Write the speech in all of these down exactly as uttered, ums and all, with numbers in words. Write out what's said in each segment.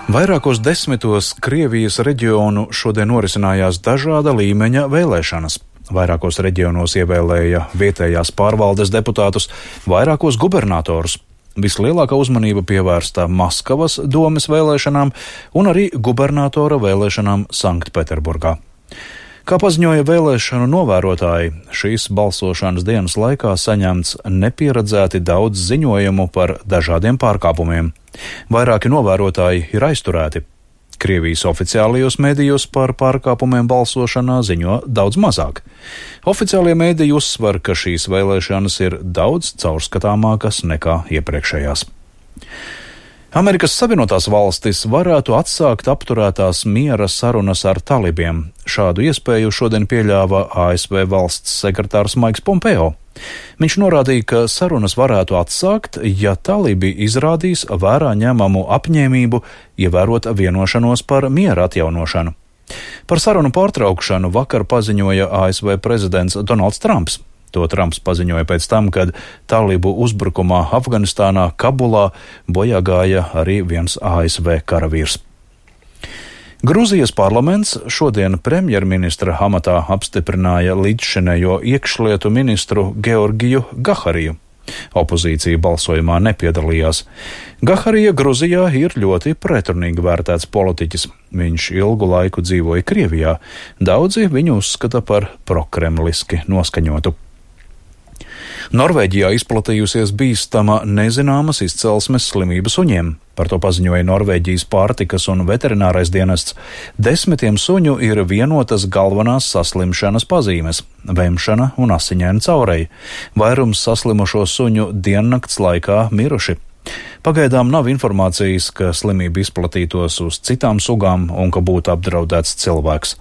Vairākos desmitos Krievijas reģionu šodien norisinājās dažāda līmeņa vēlēšanas. Vairākos reģionos ievēlēja vietējās pārvaldes deputātus, vairākos gubernatorus. Vislielākā uzmanība pievērsta Maskavas domes vēlēšanām un arī gubernatora vēlēšanām Sanktpēterburgā. Kā paziņoja vēlēšanu novērotāji, šīs balsošanas dienas laikā saņemts nepieredzēti daudz ziņojumu par dažādiem pārkāpumiem. Vairāki novērotāji ir aizturēti. Krievijas oficiālajos mēdījos par pārkāpumiem balsošanā ziņo daudz mazāk. Oficiālie mēdīji uzsver, ka šīs vēlēšanas ir daudz caurskatāmākas nekā iepriekšējās. Amerikas Savienotās valstis varētu atsākt apturētās miera sarunas ar talibiem. Šādu iespēju šodien pieļāva A S V valsts sekretārs Maiks Pompeo. Viņš norādīja, ka sarunas varētu atsākt, ja talibi izrādīs vērā ņemamu apņēmību ievērot vienošanos par miera atjaunošanu. Par sarunu pārtraukšanu vakar paziņoja A S V prezidents Donalds Trumps. To Trumps paziņoja pēc tam, kad talibu uzbrukumā Afganistānā, Kabulā bojā gāja arī viens A S V karavīrs. Gruzijas parlaments šodien premjerministra amatā apstiprināja līdzšinējo iekšlietu ministru Georgiju Gahariju. Opozīcija balsojumā nepiedalījās. Gaharija Gruzijā ir ļoti pretrunīgi vērtēts politiķis. Viņš ilgu laiku dzīvoja Krievijā. Daudzi viņu uzskata par prokremliski noskaņotu. Norvēģijā izplatījusies bīstama nezināmas izcelsmes slimība suņiem. Par to paziņoja Norvēģijas pārtikas un veterinārais dienests. Desmitiem suņu ir vienotas galvenās saslimšanas pazīmes – vemšana un asiņaina caureja. Vairums saslimušo suņu diennakts laikā miruši. Pagaidām nav informācijas, ka slimība izplatītos uz citām sugām un ka būtu apdraudēts cilvēks.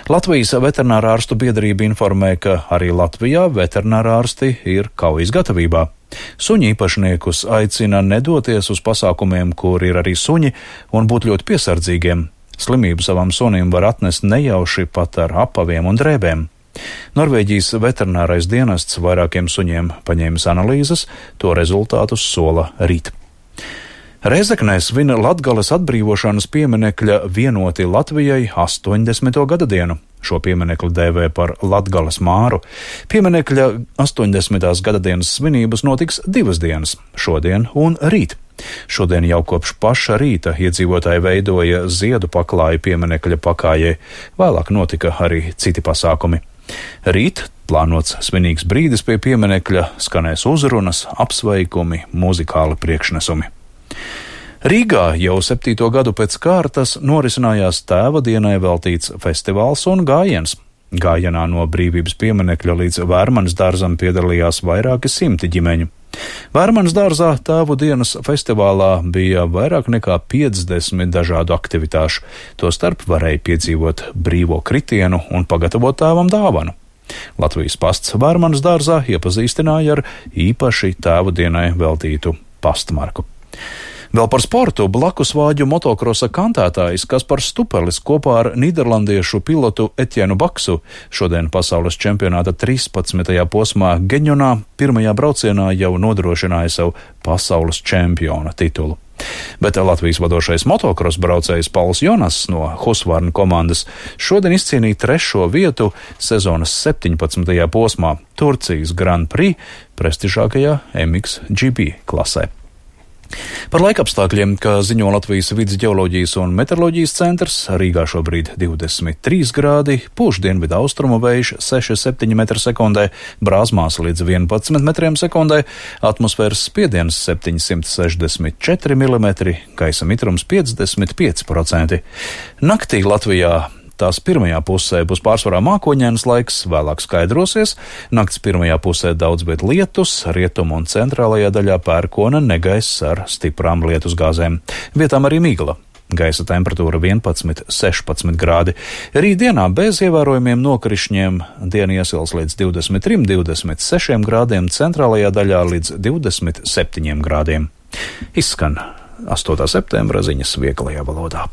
Latvijas veterinārārstu biedrība informē, ka arī Latvijā veterinārārsti ir kaujas gatavībā. Suņu īpašniekus aicina nedoties uz pasākumiem, kur ir arī suņi, un būt ļoti piesardzīgiem. Slimību savam sunim var atnest nejauši pat ar apaviem un drēbēm. Norvēģijas veterinārais dienests vairākiem suņiem paņēmis analīzes, to rezultātus sola rīt. Rēzeknē svin Latgales atbrīvošanas pieminekļa Vienoti Latvijai astoņdesmito gada dienu. Šo pieminekli dēvē par Latgales māru. Pieminekļa astoņdesmitās gada dienas svinības notiks divas dienas – šodien un rīt. Šodien jau kopš paša rīta iedzīvotāji veidoja ziedu paklāju pieminekļa pakājai. Vēlāk notika arī citi pasākumi. Rīt plānots svinīgs brīdis pie pieminekļa, skanēs uzrunas, apsveikumi, muzikāli priekšnesumi. Rīgā jau septīto gadu pēc kārtas norisinājās Tēva dienai veltīts festivāls un gājiens. Gājienā no Brīvības pieminekļa līdz Vērmanas dārzam piedalījās vairāki simti ģimeņu. Vērmanas dārzā Tēvu dienas festivālā bija vairāk nekā piecdesmit dažādu aktivitāšu. Tostarp varēja piedzīvot brīvo kritienu un pagatavot tēvam dāvanu. Latvijas pasts Vērmanas dārzā iepazīstināja ar īpaši Tēvu dienai veltītu pastmarku. Vēl par sportu blakusvāģu motokrosa kantētājs Kaspars Stupelis kopā ar nīderlandiešu pilotu Etjenu Baksu šodien pasaules čempionāta trīspadsmitajā posmā Geņonā pirmajā braucienā jau nodrošināja savu pasaules čempiona titulu. Bet Latvijas vadošais motokros braucējs Pauls Jonas no Husqvarna komandas šodien izcīnīja trešo vietu sezonas septiņpadsmitajā posmā Turcijas Grand Prix prestižākajā M X G P klasē. Par laikapstākļiem, kā ziņo Latvijas vides ģeoloģijas un meteoroloģijas centrs, Rīgā šobrīd divdesmit trīs grādi, pūš dienvidu austrumu vējš seši septiņi metri sekundē, Brāzmās līdz vienpadsmit metriem sekundē, atmosfēras spiediens septiņsimt sešdesmit četri milimetri, gaisa mitrums piecdesmit pieci procenti. Naktī Latvijā tās pirmajā pusē būs pārsvarā mākoņains laiks, vēlāk skaidrosies. Nakts pirmajā pusē daudz viet lietus, rietumu un centrālajā daļā pērkona negaiss ar stiprām lietusgāzēm. Vietām arī migla. Gaisa temperatūra vienpadsmit sešpadsmit grādi. Rītdienā bez ievērojumiem nokrišņiem diena iesils līdz divdesmit trim divdesmit sešiem grādiem, centrālajā daļā līdz divdesmit septiņiem grādiem. Izskan astotā septembra ziņas vieglajā valodā.